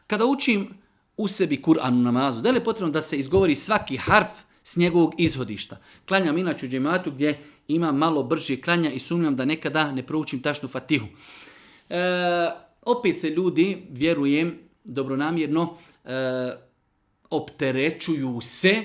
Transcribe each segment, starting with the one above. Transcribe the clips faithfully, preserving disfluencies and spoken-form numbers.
Kada učim u sebi Kur'an u namazu, da li je potrebno da se izgovori svaki harf s njegovog izhodišta? Klanjam inače u džematu gdje imam malo brže klanja i sumnjam da nekada ne proučim tašnu fatihu. E, opet se ljudi, vjerujem, dobronamjerno, e, opterećuju se,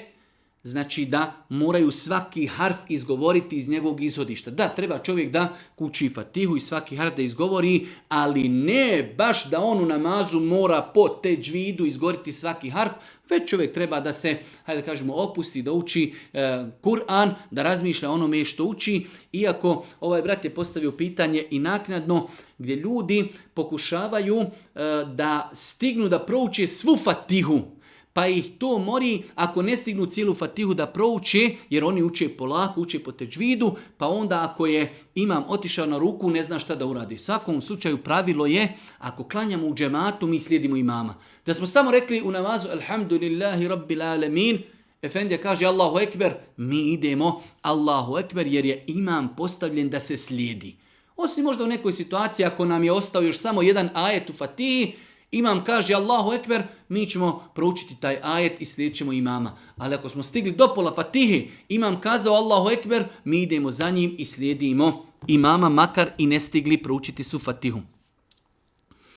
znači da moraju svaki harf izgovoriti iz njegovog izhodišta. Da, treba čovjek da uči fatihu i svaki harf da izgovori, ali ne baš da on u namazu mora po teđvidu izgovoriti svaki harf, već čovjek treba da se, hajde da kažemo, opusti, da uči e, Kur'an, da razmišlja onome što uči, iako ovaj brat je postavio pitanje i naknadno gdje ljudi pokušavaju e, da stignu da prouče svu fatihu, pa ih to mori ako ne stignu cijelu fatihu da prouče, jer oni uče polako, uče po teđvidu, pa onda ako je imam otišao na ruku, ne zna šta da uradi. U svakom slučaju pravilo je, ako klanjamo u džematu, mi slijedimo imama. Da smo samo rekli u namazu, alhamdulillahi rabbil alemin, efendija kaže Allahu ekber, mi idemo Allahu ekber, jer je imam postavljen da se slijedi. Osim možda u nekoj situaciji, ako nam je ostao još samo jedan ajet u fatihi, imam kaže Allahu ekber, mi ćemo proučiti taj ajet i slijedit ćemo imama. Ali ako smo stigli do pola fatihe, imam kazao Allahu ekber, mi idemo za njim i slijedimo imama, makar i ne stigli proučiti su fatihu.